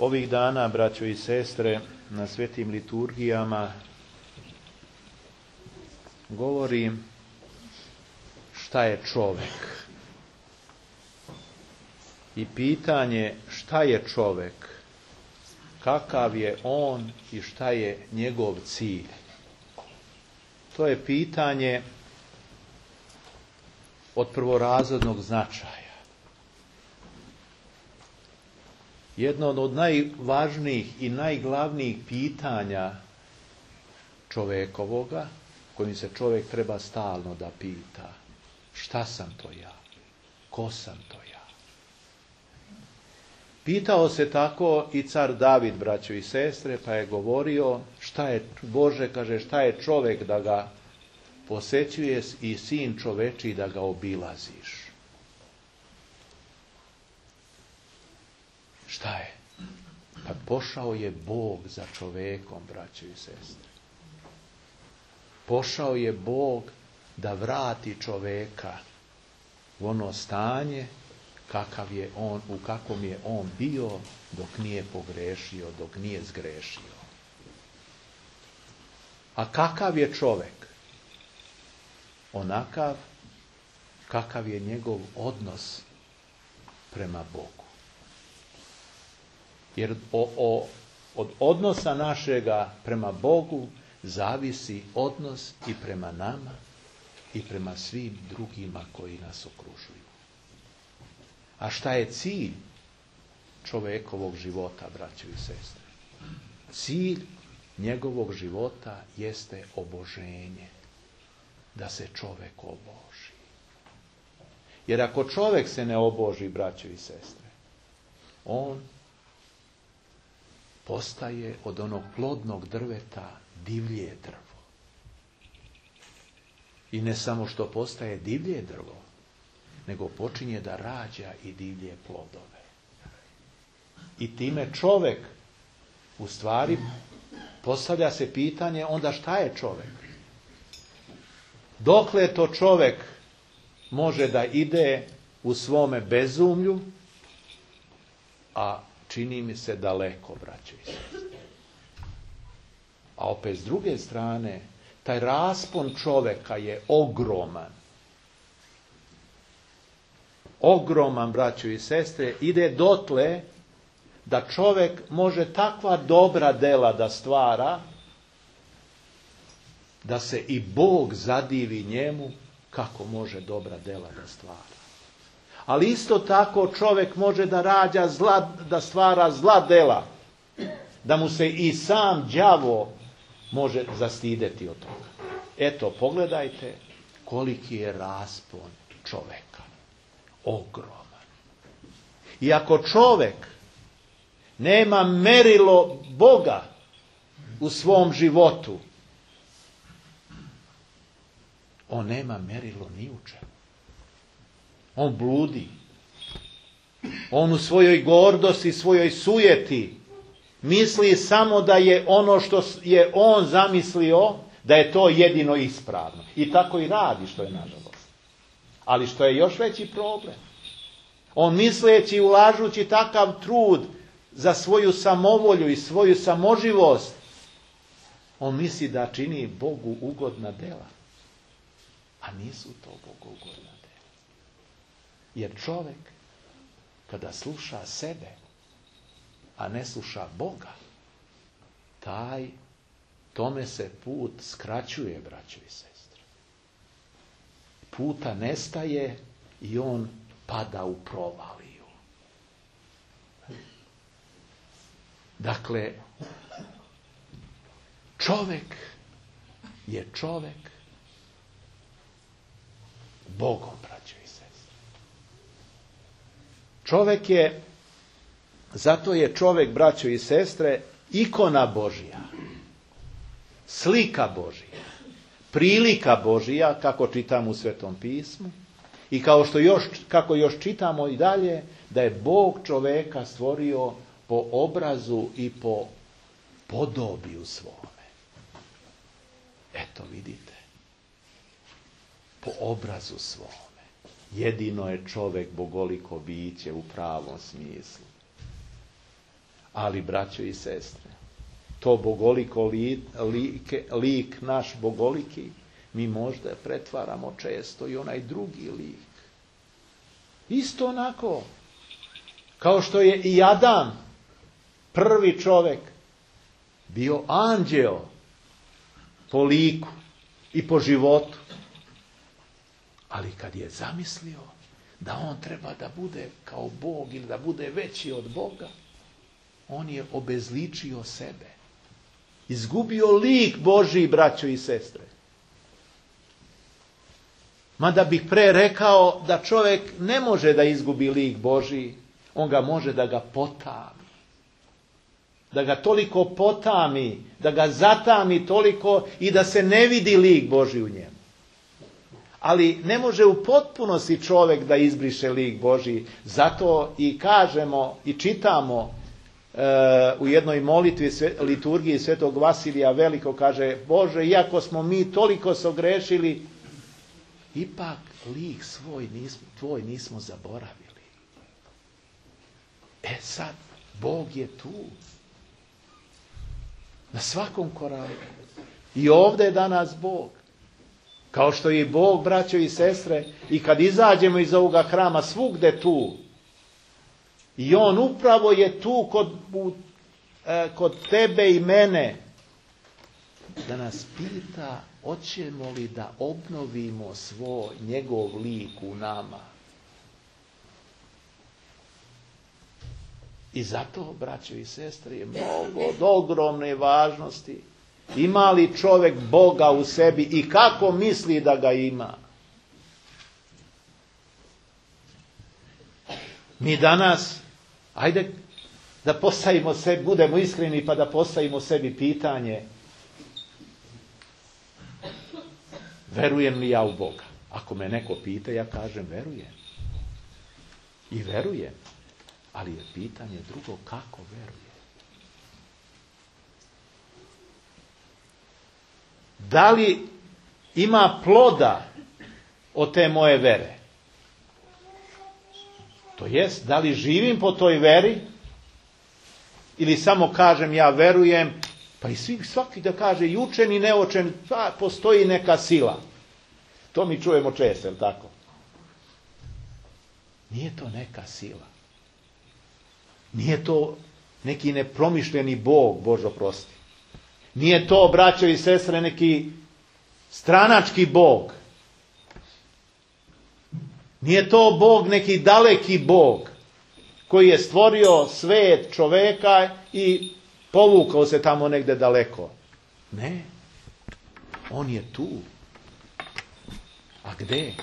Ovih dana, braćo i sestre, na svetim liturgijama govori šta je čovek. I pitanje šta je čovek, kakav je on i šta je njegov cilj. To je pitanje od prvorazrednog značaja. Jedno od najvažnijih i najglavnijih pitanja čovekovoga, kojim se čovjek treba stalno da pita: šta sam to ja? Ko sam to ja? Pitao se tako i car David, braćo i sestre, pa je govorio šta je Bože, kaže, šta je čovjek da ga posećuješ i sin čoveči da ga obilaziš. Šta je? Pa pošao je Bog za čovekom, braćo i sestre. Pošao je Bog da vrati čoveka u ono stanje kakav je on, u kakvom je on bio dok nije pogrešio, dok nije zgrešio. A kakav je čovek? Onakav kakav je njegov odnos prema Bogu. Jer od odnosa našega prema Bogu zavisi odnos i prema nama i prema svim drugima koji nas okružuju. A šta je cilj čovekovog života, braćo i sestre? Cilj njegovog života jeste oboženje. Da se čovek oboži. Jer ako čovek se ne oboži, braćo i sestre, on postaje od onog plodnog drveta divlje drvo. I ne samo što postaje divlje drvo, nego počinje da rađa i divlje plodove. I time čovek, u stvari, postavlja se pitanje onda šta je čovek? Dokle to čovek može da ide u svome bezumlju, a čini mi se daleko, braćo i sestre. A opet s druge strane, taj raspon čoveka je ogroman. Ogroman, braćo i sestre, ide dotle da čovek može takva dobra dela da stvara, da se i Bog zadivi njemu kako može dobra dela da stvara. Ali isto tako čovjek može da rađa da stvara zla dela, da mu se i sam đavo može zastideti od toga. Eto, pogledajte koliki je raspon čovjeka. Ogroman. I ako čovjek nema merilo Boga u svom životu, on nema merilo ni u čemu. On bludi. On u svojoj gordosti, svojoj sujeti misli samo da je ono što je on zamislio, da je to jedino ispravno. I tako i radi, što je nažalost. Ali što je još veći problem. On misleći, ulažući takav trud za svoju samovolju i svoju samoživost, on misli da čini Bogu ugodna dela. A nisu to Bogu ugodna dela. Jer čovjek, kada sluša sebe, a ne sluša Boga, tome se put skraćuje, braćo i sestre. Puta nestaje i on pada u provaliju. Dakle, čovjek je čovjek Bogom, braćo i sestre. Čovjek je, zato je čovjek, braćo i sestre, ikona Božja, slika Božja, prilika Božja, kako čitam u Svetom pismu, i kako još čitamo i dalje, da je Bog čovjeka stvorio po obrazu i po podobiju svome. Eto, vidite. Po obrazu svome. Jedino je čovjek bogoliko biće u pravom smislu. Ali, braćo i sestre, to bogoliko lik naš bogoliki, mi možda pretvaramo često i onaj drugi lik. Isto onako, kao što je i Adam, prvi čovjek, bio anđeo po liku i po životu. Ali kad je zamislio da on treba da bude kao Bog ili da bude veći od Boga, on je obezličio sebe. Izgubio lik Božji, braćo i sestre. Mada bih pre rekao da čovjek ne može da izgubi lik Božji, on ga može da ga potami. Da ga toliko potami, da ga zatami toliko i da se ne vidi lik Božji u njemu. Ali ne može u potpunosti čovjek da izbriše lik Božji. Zato i kažemo i čitamo u jednoj molitvi liturgiji Svetog Vasilija Velikog, kaže: Bože, iako smo mi toliko sogrešili, ipak lik tvoj nismo zaboravili. Sad, Bog je tu. Na svakom koraku. I ovdje je danas Bog. Kao što je i Bog, braćo i sestre, i kad izađemo iz ovoga hrama, svugde tu. I on upravo je tu kod tebe i mene, da nas pita hoćemo li da obnovimo njegov lik u nama. I zato, braćo i sestre, je mnogo od ogromne važnosti. Ima li čovjek Boga u sebi i kako misli da ga ima? Mi danas, ajde da postavimo sebi, budemo iskreni pa da postavimo sebi pitanje: verujem li ja u Boga? Ako me neko pita, ja kažem verujem. I verujem. Ali je pitanje drugo, kako veruje. Da li ima ploda od te moje vere? To jest, da li živim po toj veri? Ili samo kažem ja verujem, pa i svaki da kaže i učen i neočen, pa postoji neka sila. To mi čujemo često, je li tako? Nije to neka sila. Nije to neki nepromišljeni Bog, Bože oprosti. Nije to, braćo i sestre, neki stranački Bog. Nije to Bog, neki daleki Bog, koji je stvorio svet, čoveka i povukao se tamo negde daleko. Ne. On je tu. A gde?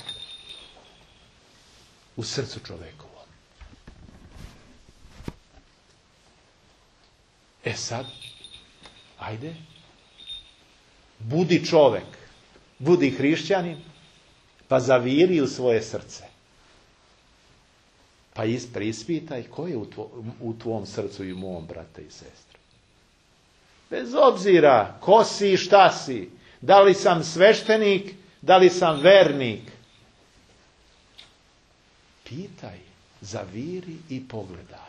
U srcu čovekovom. Sad, ajde, budi čovek, budi hrišćanin, pa zaviri u svoje srce. Pa preispitaj ko je u tvom srcu i u mom, brate i sestre. Bez obzira ko si i šta si, da li sam sveštenik, da li sam vernik. Pitaj, zaviri i pogledaj.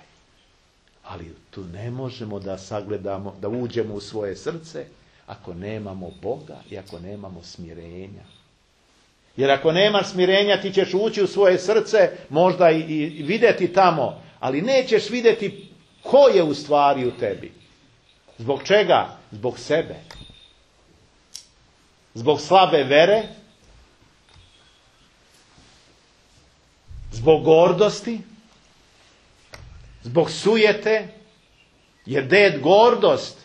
Ali tu ne možemo da sagledamo, da uđemo u svoje srce ako nemamo Boga i ako nemamo smirenja. Jer ako nemaš smirenja, ti ćeš ući u svoje srce, možda i vidjeti tamo, ali nećeš vidjeti ko je u stvari u tebi. Zbog čega? Zbog sebe. Zbog slabe vere, zbog gordosti, zbog sujete, jer gdje je gordost,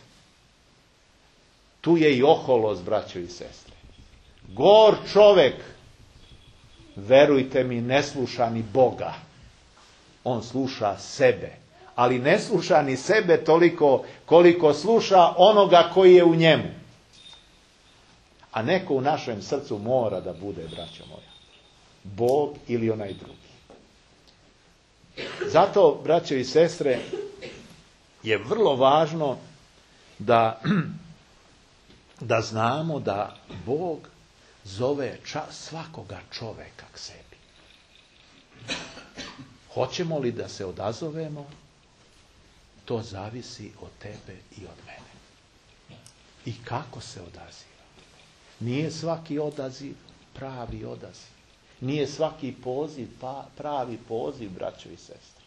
tu je i oholost, braćo i sestre. Gor čovek, verujte mi, ne sluša ni Boga. On sluša sebe. Ali ne sluša ni sebe toliko koliko sluša onoga koji je u njemu. A neko u našem srcu mora da bude, braćo moja, Bog ili onaj drugi. Zato, braćo i sestre, je vrlo važno da znamo da Bog zove svakoga čoveka k sebi. Hoćemo li da se odazovemo to zavisi od tebe i od mene. I kako se odaziva. Nije svaki odaziv pravi odaziv. Nije svaki poziv pravi poziv, braćo i sestre.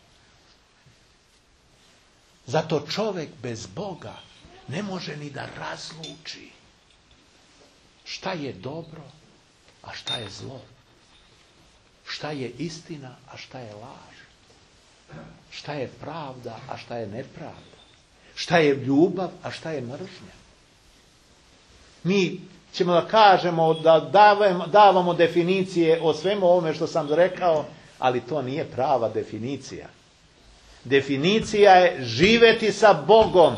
Zato čovjek bez Boga ne može ni da razluči šta je dobro, a šta je zlo. Šta je istina, a šta je laž. Šta je pravda, a šta je nepravda. Šta je ljubav, a šta je mržnja. Mi ćemo da kažemo, da davamo definicije o svemu ovome što sam rekao, ali to nije prava definicija. Definicija je živeti sa Bogom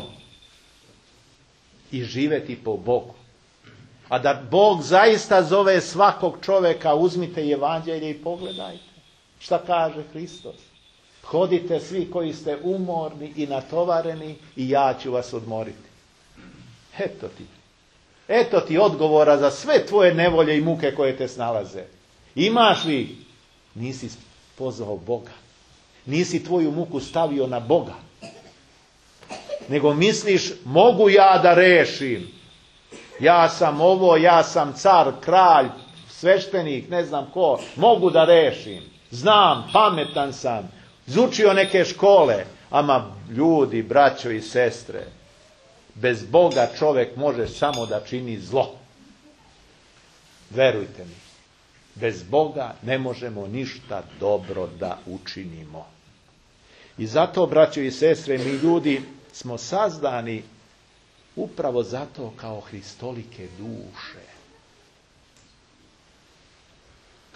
i živeti po Bogu. A da Bog zaista zove svakog čovjeka, uzmite evanđelje i pogledajte. Šta kaže Hristos? Hodite svi koji ste umorni i natovareni i ja ću vas odmoriti. Eto ti odgovora za sve tvoje nevolje i muke koje te snalaze. Imaš li? Nisi pozvao Boga. Nisi tvoju muku stavio na Boga. Nego misliš, mogu ja da rešim. Ja sam ovo, ja sam car, kralj, sveštenik, ne znam ko. Mogu da rešim. Znam, pametan sam. Izučio neke škole. Ama ljudi, braćo i sestre, bez Boga čovjek može samo da čini zlo. Verujte mi. Bez Boga ne možemo ništa dobro da učinimo. I zato, braćo i sestre, mi ljudi smo sazdani upravo zato kao hristolike duše.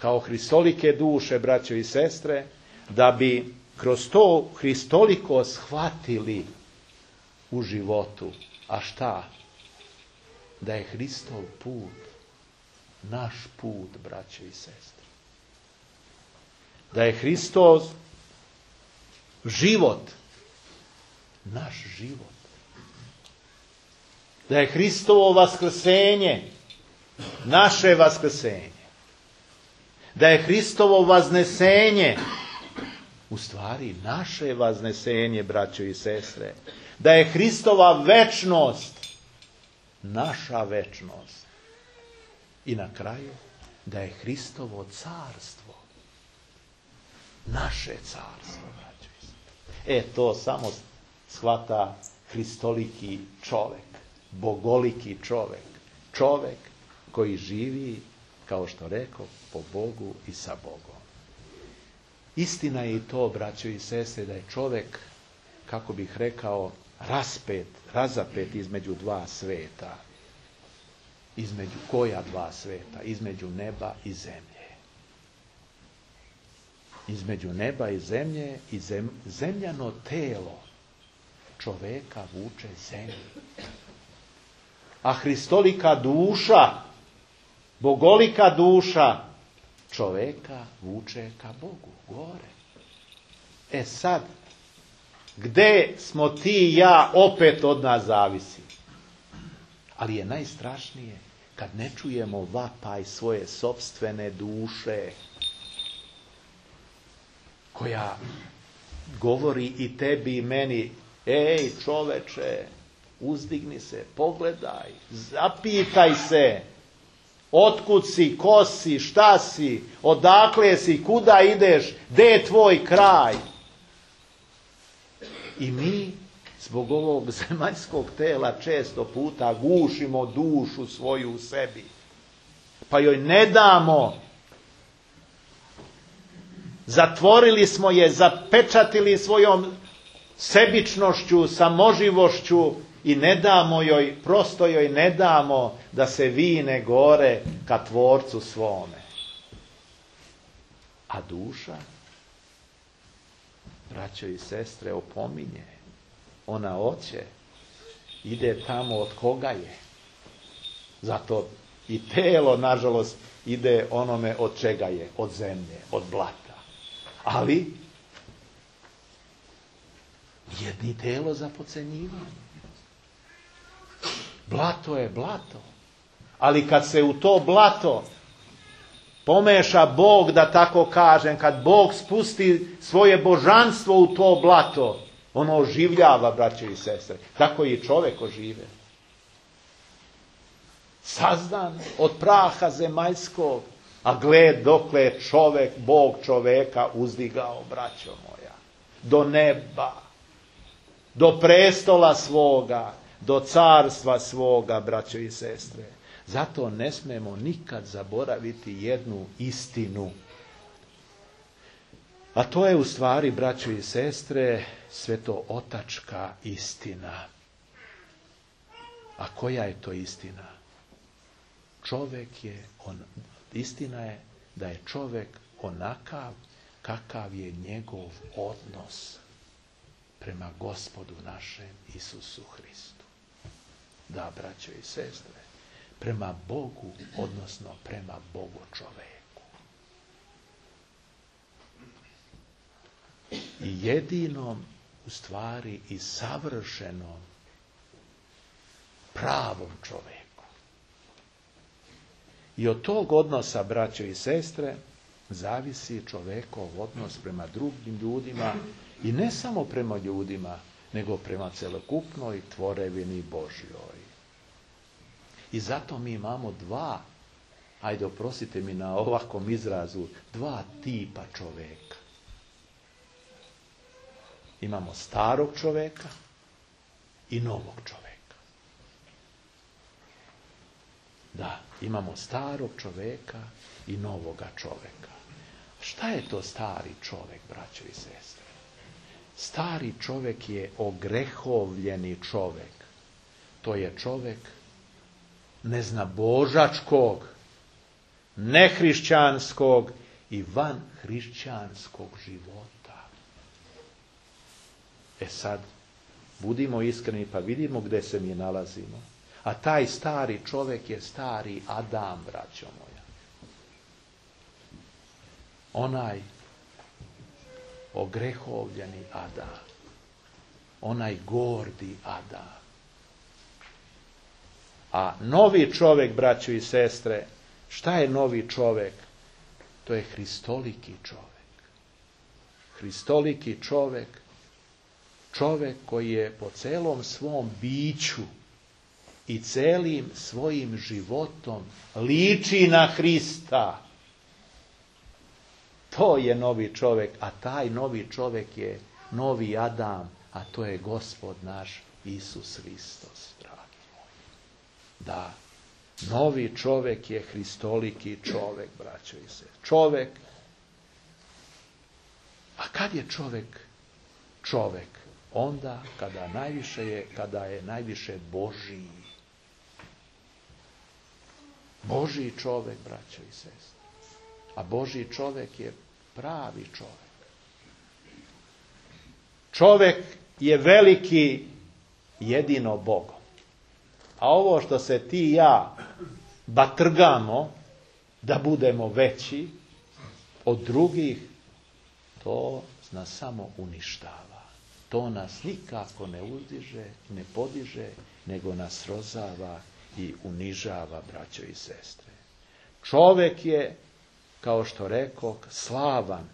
Kao hristolike duše, braćo i sestre, da bi kroz to hristoliko shvatili u životu. A šta? Da je Hristov put naš put, braćo i sestre. Da je Hristov život naš život. Da je Hristovo vaskrsenje naše vaskrsenje. Da je Hristovo vaznesenje u stvari naše vaznesenje, braćo i sestre. Da je Hristova večnost naša večnost. I na kraju, da je Hristovo carstvo naše carstvo, braćo i sestre. To samo shvata hristoliki čovjek, bogoliki čovjek. Čovjek koji živi, kao što rekao, po Bogu i sa Bogom. Istina je i to, braćo i sestre, da je čovjek, kako bih rekao, razapet između dva sveta. Između koja dva sveta? Između neba i zemlje. Između neba i zemlje i zemljano telo čovjeka vuče zemlju. A hristolika duša, bogolika duša čovjeka vuče ka Bogu, gore. Sad, gde smo ti i ja, opet od nas zavisi. Ali je najstrašnije kad ne čujemo vapaj svoje sopstvene duše, koja govori i tebi i meni, ej čoveče, uzdigni se, pogledaj, zapitaj se, otkud si, ko si, šta si, odakle si, kuda ideš, gde je tvoj kraj. I mi zbog ovog zemaljskog tela često puta gušimo dušu svoju u sebi. Pa joj ne damo. Zatvorili smo je, zapečatili svojom sebičnošću, samoživošću i ne damo joj, prosto joj ne damo da se vine gore ka tvorcu svome. A duša, braćo i sestre, opominje. Ona hoće, ide tamo od koga je. Zato i telo, nažalost, ide onome od čega je, od zemlje, od blata. Ali, jedni telo za podcenjivanje. Blato je blato. Ali kad se u to blato pomeša Bog, da tako kažem, kad Bog spusti svoje božanstvo u to blato, Ono oživljava, braće i sestre. Tako i čovjek ožive. Sazdan od praha zemaljskog, a gled dokle je čovjek, Bog čovjeka uzdigao, braćo moja, do neba, do prestola svoga, do carstva svoga, braćo i sestre. Zato ne smemo nikad zaboraviti jednu istinu. A to je u stvari, braćo i sestre, svetootačka istina. A koja je to istina? Istina je da je čovjek onakav kakav je njegov odnos prema Gospodu našem Isusu Hristu. Da, braćo i sestre, prema Bogu, odnosno prema Bogu čoveku. I jedinom, u stvari, i savršenom, pravom čoveku. I od tog odnosa, braćo i sestre, zavisi čovekov odnos prema drugim ljudima i ne samo prema ljudima, nego prema celokupnoj tvorevini Božjoj. I zato mi imamo dva, ajde oprostite mi na ovakvom izrazu, dva tipa čoveka. Imamo starog čoveka i novog čoveka. Da, imamo starog čoveka i novoga čoveka. Šta je to stari čovek, braćo i sestre? Stari čovek je ogrehovljeni čovek. To je čovek neznabožačkog, nehrišćanskog i vanhrišćanskog života. Sad, budimo iskreni pa vidimo gde se mi nalazimo. A taj stari čovjek je stari Adam, braćo moja. Onaj ogrehovljeni Adam. Onaj gordi Adam. A novi čovjek, braćo i sestre, šta je novi čovjek? To je hristoliki čovjek. Hristoliki čovjek, čovjek koji je po celom svom biću i celim svojim životom liči na Hrista. To je novi čovjek, a taj novi čovjek je novi Adam, a to je Gospod naš Isus Hristos, dragi moji. Da, novi čovjek je hristoliki čovjek, braćo i sestre. Čovjek. A kad je čovjek čovjek? Onda kada je najviše Božiji. Božji čovjek, braćo i sestre. A Božji čovjek je pravi čovjek. Čovjek je veliki jedino Bogom. A ovo što se ti i ja batrgamo da budemo veći od drugih, to nas samo uništava. To nas nikako ne uzdiže, ne podiže, nego nas srozava i unižava, braćo i sestre. Čovjek je, kao što rekoh, slavan.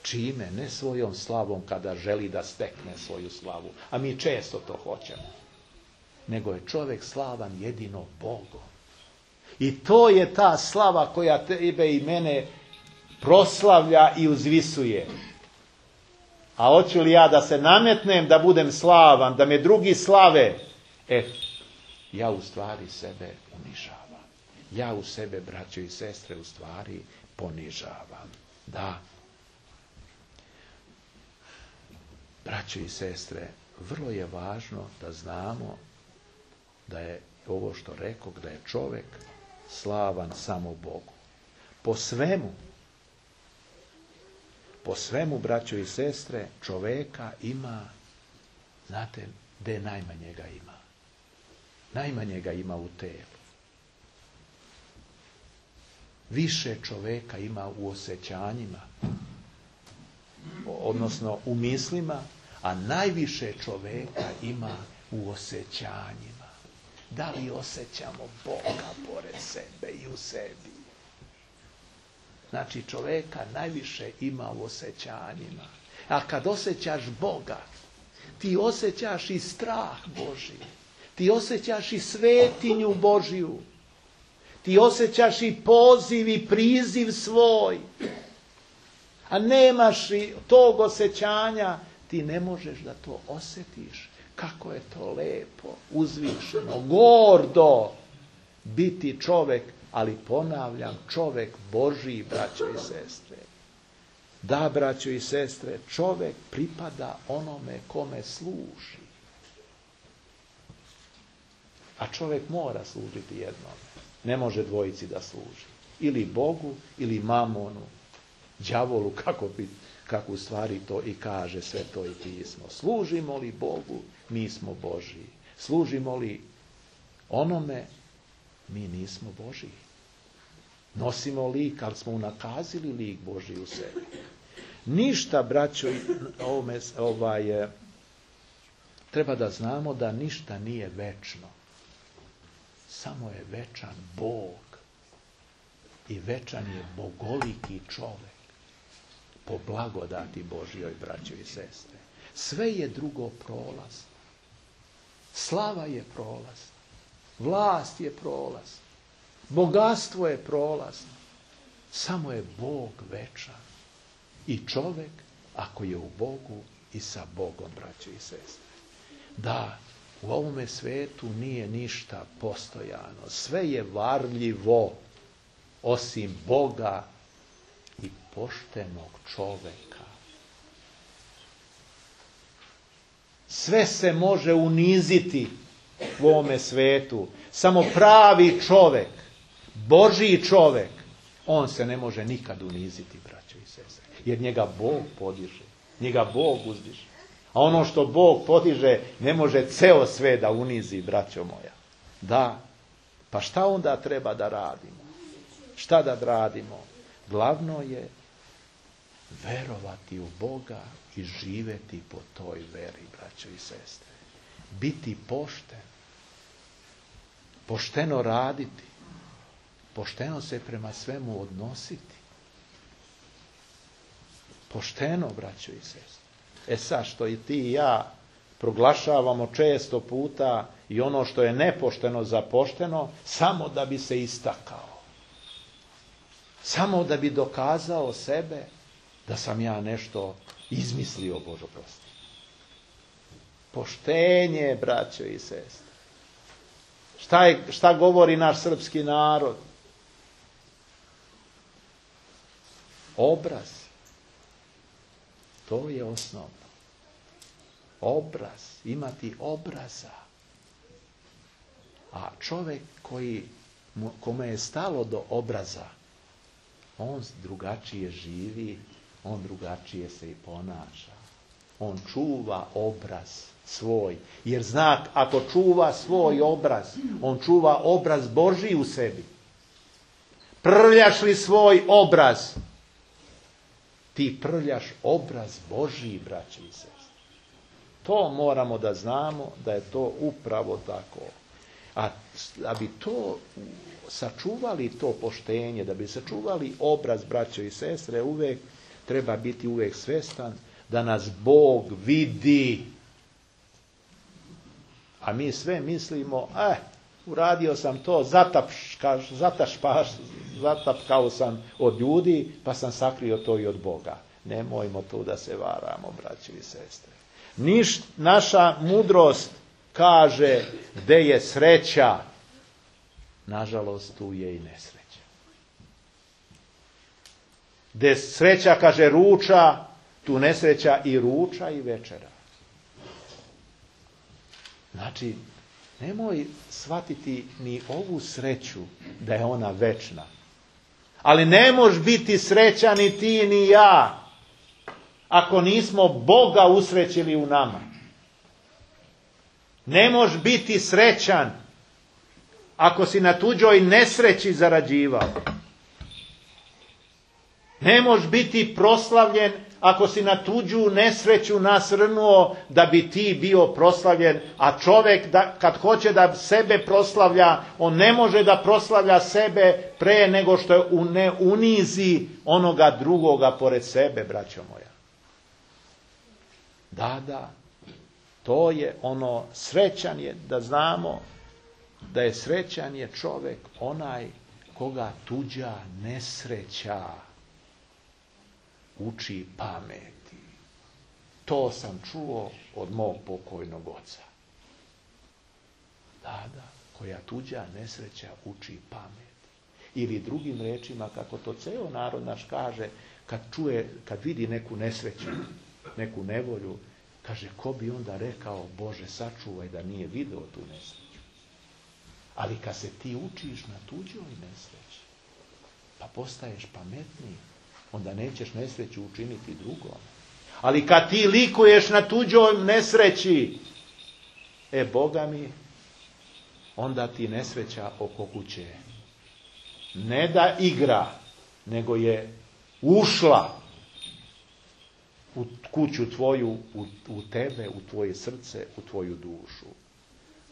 Čime? Ne svojom slavom kada želi da stekne svoju slavu. A mi često to hoćemo. Nego je čovjek slavan jedino Bogom. I to je ta slava koja tebe i mene proslavlja i uzvisuje. A hoću li ja da se nametnem, da budem slavan, da me drugi slave? Ja u stvari sebe unižavam. Ja u sebe, braćo i sestre, u stvari ponižavam. Da. Braćo i sestre, vrlo je važno da znamo da je ovo što rekoh, da je čovjek slavan samo Bogu. Po svemu, braćo i sestre, čovjeka ima, znate, gde najmanje ga ima? Najmanje ga ima u telu. Više čovjeka ima u osjećanjima, odnosno u mislima, a najviše čovjeka ima u osjećanjima. Da li osjećamo Boga pored sebe i u sebi? Znači, čovjeka najviše ima u osjećanjima. A kad osjećaš Boga, ti osjećaš i strah Božji. Ti osjećaš i svetinju Božju. Ti osjećaš i poziv i priziv svoj. A nemaš i tog osjećanja, ti ne možeš da to osjetiš. Kako je to lepo, uzvišeno, gordo biti čovjek, ali ponavljam, čovjek Božji, braćo i sestre. Da, braćo i sestre, čovjek pripada onome kome služi. A čovjek mora služiti jednome. Ne može dvojici da služi. Ili Bogu, ili mamonu, đavolu, kako u stvari to i kaže Sveto i pismo. Služimo li Bogu, mi smo Božji. Služimo li onome, mi nismo Božji. Nosimo lik, ali smo unakazili lik Božji u sebi. Ništa, braćo, treba da znamo da ništa nije večno. Samo je večan Bog. I večan je bogoliki čovjek. Po blagodati Božjoj, braćo i sestre. Sve je drugo prolazno. Slava je prolazna. Vlast je prolazna. Bogatstvo je prolazno. Samo je Bog večan. I čovjek, ako je u Bogu i sa Bogom, braćo i sestre. Da, u ovome svetu nije ništa postojano. Sve je varljivo, osim Boga i poštenog čovjeka. Sve se može uniziti u ovome svetu. Samo pravi čovjek, Božji čovjek, on se ne može nikad uniziti, braćo i sestre. Jer njega Bog podiže, njega Bog uzdiže. A ono što Bog podiže ne može ceo sve da unizi, braćo moja. Da, pa šta onda treba da radimo? Šta da radimo? Glavno je verovati u Boga i živjeti po toj veri, braćo i sestre. Biti pošten. Pošteno raditi. Pošteno se prema svemu odnositi. Pošteno, braćo i sestre. Sad što i ti i ja proglašavamo često puta i ono što je nepošteno za pošteno, samo da bi se istakao. Samo da bi dokazao sebe da sam ja nešto izmislio, Bože prosti. Poštenje, braćo i sestre. Šta govori naš srpski narod? Obraz. To je osnovno. Obraz. Imati obraza. A čovjek kome je stalo do obraza, on drugačije živi, on drugačije se i ponaša. On čuva obraz svoj. Jer znak, ako čuva svoj obraz, on čuva obraz Božji u sebi. Prljaš li svoj obraz, ti prljaš obraz Božji, braći i sestre. To moramo da znamo da je to upravo tako. A da bi to sačuvali, to poštenje, da bi sačuvali obraz, braćo i sestre, treba biti uvijek svestan da nas Bog vidi. A mi sve mislimo, uradio sam to, zatapkao sam od ljudi, pa sam sakrio to i od Boga. Nemojmo tu da se varamo, braći i sestre. Naša mudrost kaže gde je sreća, nažalost tu je i nesreća. Gde sreća, kaže, ruča, tu nesreća i ruča i večera. Znači, nemoj shvatiti ni ovu sreću da je ona večna. Ali ne može biti srećan ni ti ni ja ako nismo Boga usrećili u nama. Ne može biti srećan ako si na tuđoj nesreći zarađivao. Ne može biti proslavljen ako si na tuđu nesreću nasrnuo da bi ti bio proslavljen, a čovjek kad hoće da sebe proslavlja, on ne može da proslavlja sebe pre nego što ne unizi onoga drugoga pored sebe, braćo moja. Da, To je ono, srećan je, da znamo da je srećan je čovjek onaj koga tuđa nesreća uči pameti. To sam čuo od mog pokojnog oca. Da, koja tuđa nesreća uči pameti. Ili drugim rečima, kako to ceo narod naš kaže, kad vidi neku nesreću, neku nevolju, kaže, ko bi onda rekao, Bože, sačuvaj da nije video tu nesreću. Ali kad se ti učiš na tuđoj nesreći, pa postaješ pametniji, onda nećeš nesreću učiniti drugom. Ali kad ti likuješ na tuđoj nesreći, Boga mi, onda ti nesreća oko kuće ne da igra, nego je ušla u kuću tvoju, u tebe, u tvoje srce, u tvoju dušu.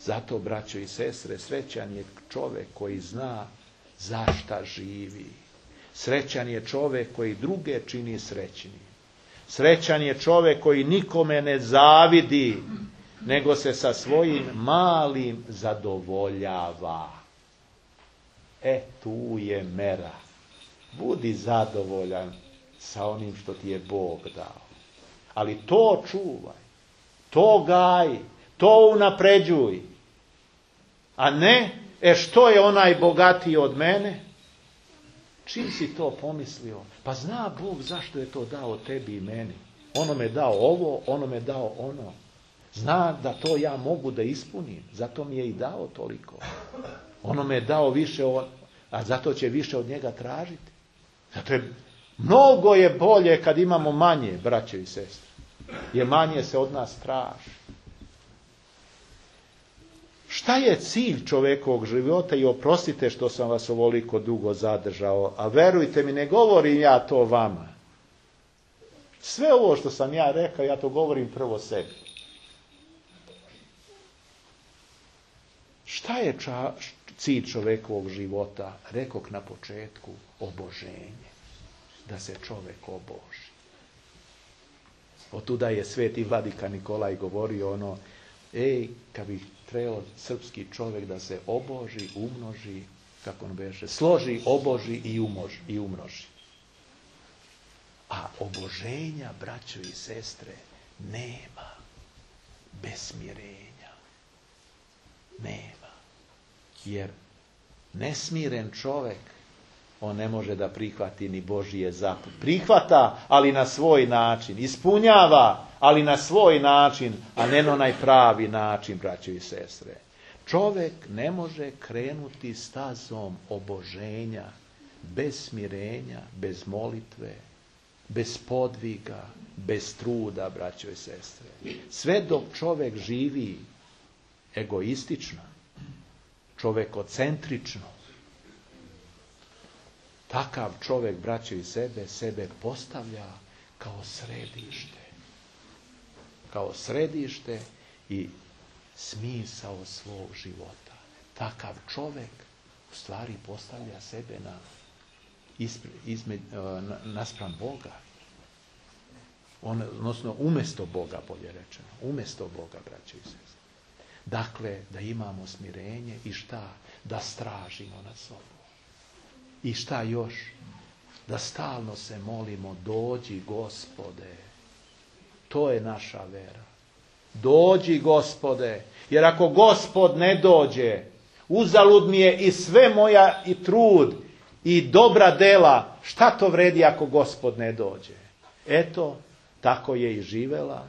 Zato, braćo i sestre, srećan je čovjek koji zna zašta živi. Srećan je čovjek koji druge čini srećnim. Srećan je čovjek koji nikome ne zavidi, nego se sa svojim malim zadovoljava. Tu je mera. Budi zadovoljan sa onim što ti je Bog dao. Ali to čuvaj, to gaj, to unapređuj. A ne, što je onaj bogatiji od mene? Čim si to pomislio? Pa zna Bog zašto je to dao tebi i meni. Ono me dao ovo, ono me dao ono. Zna da to ja mogu da ispunim. Zato mi je i dao toliko. Ono me je dao više, a zato će više od njega tražiti. Zato je mnogo je bolje kad imamo manje, braćo i sestre. Jer manje se od nas traži. Šta je cilj čovjekovog života? I oprostite što sam vas ovoliko dugo zadržao, a verujte mi, ne govorim ja to vama. Sve ovo što sam ja rekao, ja to govorim prvo sebi. Šta je cilj čovjekovog života? Rekok na početku, oboženje. Da se čovjek oboži. Otuda je sveti vladika Nikolaj govorio kad bi trebao srpski čovjek da se oboži, umnoži, kako on beše, složi, oboži i umnoži. A oboženja, braćo i sestre, nema bez smirenja. Nema. Jer nesmiren čovjek, on ne može da prihvati ni Božije zapovjedi. Prihvata, ali na svoj način. Ispunjava, ali na svoj način, a ne na onaj pravi način, braćo i sestre. Čovjek ne može krenuti stazom oboženja, bez smirenja, bez molitve, bez podviga, bez truda, braćo i sestre. Sve dok čovjek živi egoistično, čovjekocentrično, takav čovjek, braćo i sebe postavlja kao središte. Kao središte i smisao svog života. Takav čovjek u stvari postavlja sebe naspram Boga. Odnosno umjesto Boga, bolje rečeno. Umjesto Boga, braćo i sestre. Dakle, da imamo smirenje i šta? Da stražimo nad sobom. I šta još? Da stalno se molimo, dođi Gospode. To je naša vera. Dođi Gospode. Jer ako Gospod ne dođe, uzalud mi je i sve moja i trud i dobra dela. Šta to vredi ako Gospod ne dođe? Eto, tako je i živela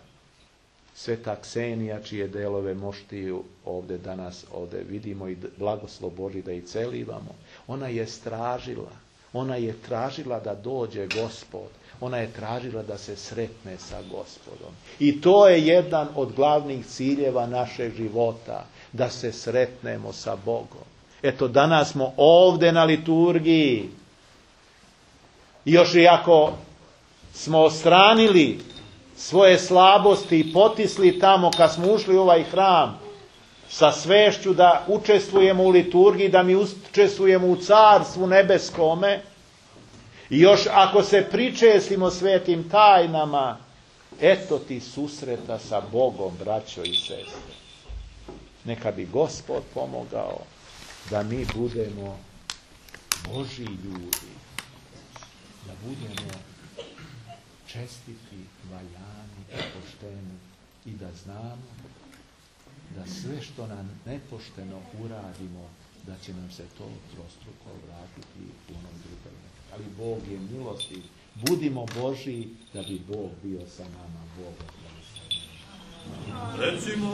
sveta Ksenija, čije delove moštiju ovdje danas vidimo i blagoslov Božji da i celivamo. Ona je tražila da dođe Gospod. Ona je tražila da se sretne sa Gospodom. I to je jedan od glavnih ciljeva našeg života, da se sretnemo sa Bogom. Eto, danas smo ovdje na liturgiji. I još i ako smo ostranili svoje slabosti i potisli tamo kad smo ušli u ovaj hram sa svešću da učestvujemo u liturgiji, da mi učestvujemo u carstvu nebeskome, i još ako se pričestimo svetim tajnama, Eto ti susreta sa Bogom, braćo i sestre. Neka bi Gospod pomogao da mi budemo Božji ljudi, da budemo čestiti, valjani i pošteni i da znamo da sve što nam nepošteno uradimo, da će nam se to trostruko vratiti u onom drugom. Ali Bog je milostiv. Budimo Božji da bi Bog bio sa nama. Bog. Recimo